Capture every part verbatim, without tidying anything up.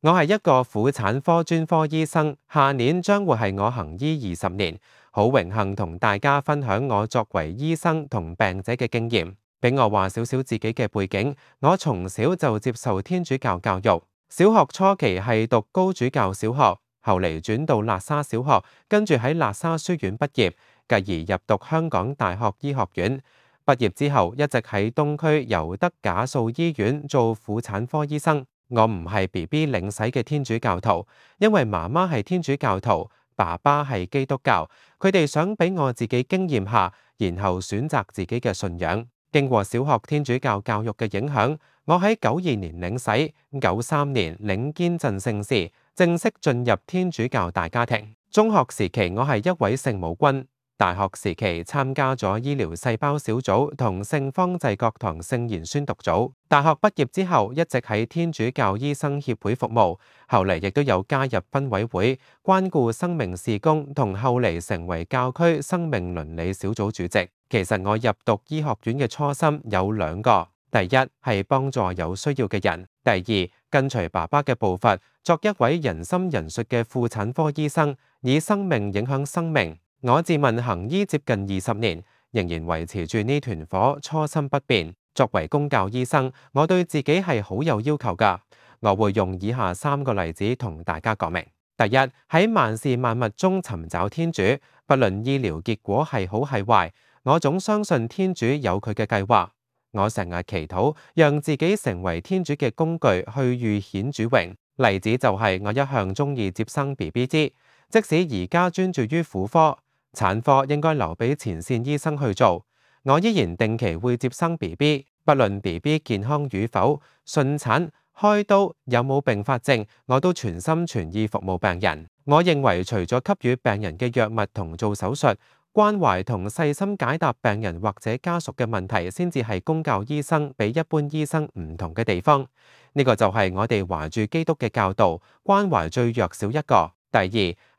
我係一個婦產科專科醫生，下年將會係我行醫二十年，好榮幸同大家分享我作為醫生同病者嘅經驗。俾我話少少自己嘅背景，我從小就接受天主教教育，小學初期係讀高主教小學，後嚟轉到喇沙小學，跟住喺喇沙書院畢業，繼而入讀香港大學醫學院。畢業之後一直喺東區尤德賈素醫院做婦產科醫生。我唔係 B B 領洗嘅天主教徒，因為媽媽係天主教徒，爸爸係基督教，佢哋想俾我自己經驗下，然後選擇自己嘅信仰。經過小學天主教教育嘅影響，我喺九二年領洗，九三年領堅振聖事，正式進入天主教大家庭。中學時期我係一位聖母軍。大學時期參加咗醫療細胞小組同聖方濟各堂聖言宣讀組。大學畢業之後一直喺天主教醫生協會服務，後嚟亦都有加入分委會，關顧生命事工，同後嚟成為教區生命倫理小組主席。其實我入讀醫學院嘅初心有兩個，第一係幫助有需要嘅人，第二跟隨爸爸嘅步伐，作一位仁心仁術嘅婦產科醫生，以生命影響生命。我自問行醫接近二十年，仍然維持住呢團火，初心不變。作為公教醫生，我對自己係好有要求㗎。我會用以下三個例子同大家講明。第一，喺萬事萬物中尋找天主，不論醫療結果係好係壞，我總相信天主有佢嘅計劃。我成日祈禱，讓自己成為天主嘅工具，去預顯主榮。例子就係我一向鍾意接生 B B 支，即使而家專注於婦科。產科應該留俾前線醫生去做，我依然定期會接生 B B， 不論 B B 健康與否，順產、開刀有冇併發症，我都全心全意服務病人。我認為除咗給予病人嘅藥物同做手術，關懷同細心解答病人或者家屬嘅問題，先至係公教醫生比一般醫生唔同嘅地方。呢個就係我哋懷住基督嘅教導，關懷最弱小一個。第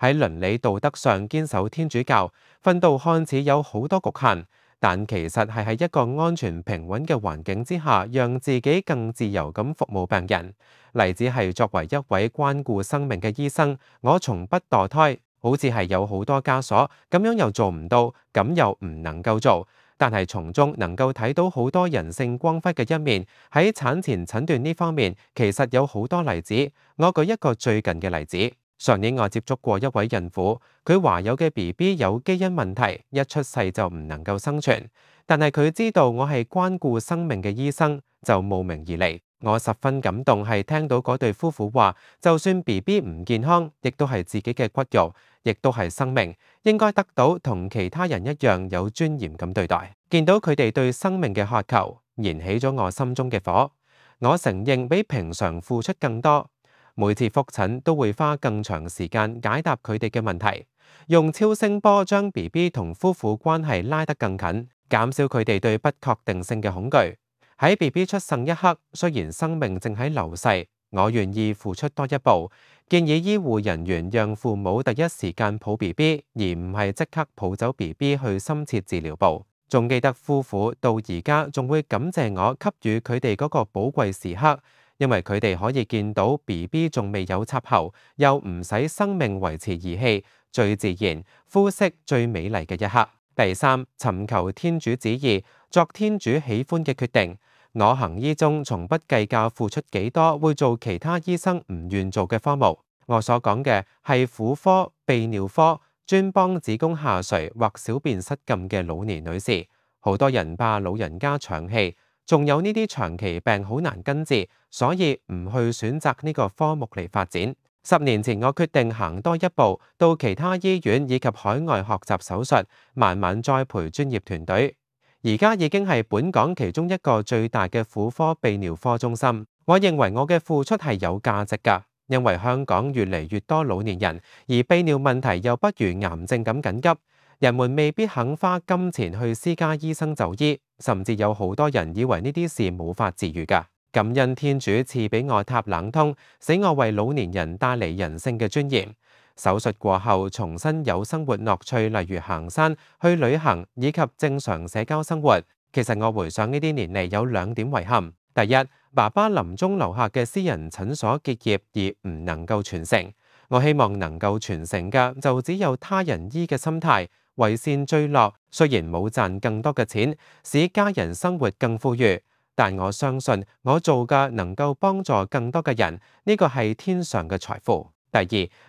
二，喺倫理道德上堅守天主教，訓導看似有好多局限，但其實係喺一個安全平穩嘅環境之下，讓自己更自由咁服務病人。例子係作為一位關顧生命嘅醫生，我從不墮胎，好似係有好多枷鎖，咁樣又做唔到，咁又唔能夠做，但係從中能夠睇到好多人性光輝嘅一面。喺產前診斷呢方面，其實有好多例子。我舉一個最近嘅例子。上年我接觸過一位孕婦，佢懷有嘅 B B 有基因問題，一出世就唔能夠生存。但係佢知道我係關顧生命嘅醫生，就慕名而嚟。我十分感動，係聽到嗰對夫婦話，就算 B B 唔健康，亦都係自己嘅骨肉，亦都係生命，應該得到同其他人一樣有尊嚴咁對待。見到佢哋對生命嘅渴求，燃起咗我心中嘅火。我承認比平常付出更多。每次覆診都會花更長時間解答佢哋嘅問題，用超聲波將 B B 同夫婦關係拉得更近，減少佢哋對不確定性嘅恐懼。喺 B B 出生一刻，雖然生命正喺流逝，我願意付出多一步，建議醫護人員讓父母第一時間抱 B B， 而唔係即刻抱走 B B 去深切治療部。仲記得夫婦到而家仲會感謝我給予佢哋嗰個寶貴時刻。因為佢哋可以見到 B B 仲未有插喉，又唔使生命維持儀器，最自然、膚色最美麗嘅一刻。第三，尋求天主旨意，作天主喜歡嘅決定。我行醫中從不計較付出幾多，會做其他醫生唔願做嘅科目。我所講嘅係婦科、泌尿科，專幫子宮下垂或小便失禁嘅老年女士。好多人怕老人家長氣。仲有呢啲長期病好難根治，所以唔去選擇呢個科目嚟發展。十年前我決定行多一步，到其他醫院以及海外學習手術，慢慢栽培專業團隊。而家已經係本港其中一個最大嘅婦科泌尿科中心。我認為我嘅付出係有價值㗎，因為香港越嚟越多老年人，而泌尿問題又不如癌症咁緊急。人們未必肯花金錢去私家醫生就醫，甚至有好多人以為呢啲事冇法治癒㗎。感恩天主賜俾我塔冷通，使我為老年人帶嚟人性嘅尊嚴。手術過後重新有生活樂趣，例如行山、去旅行以及正常社交生活。其實我回想呢啲年嚟有兩點遺憾：第一，爸爸臨終留下嘅私人診所結業而唔能夠傳承。我希望能夠傳承嘅就只有他人醫嘅心態，為善最樂。雖然冇賺更多嘅錢，使家人生活更富裕，但我相信我做嘅能夠幫助更多嘅人，呢個係天上嘅財富。第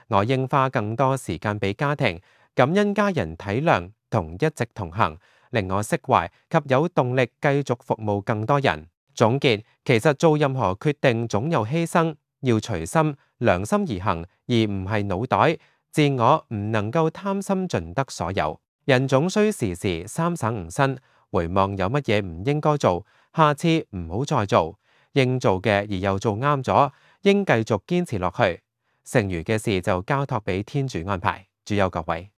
二，我應花更多時間俾家庭，感恩家人體諒同一直同行，令我釋懷及有動力繼續服務更多人。總結，其實做任何決定總有犧牲，要隨心、良心而行，而唔係腦袋。自我唔能夠貪心盡得所有。人總需時時三省吾身，回望有乜嘢唔應該做，下次唔好再做。應做嘅而又做啱咗，應繼續堅持落去。剩餘嘅事就交託俾天主安排。主佑各位。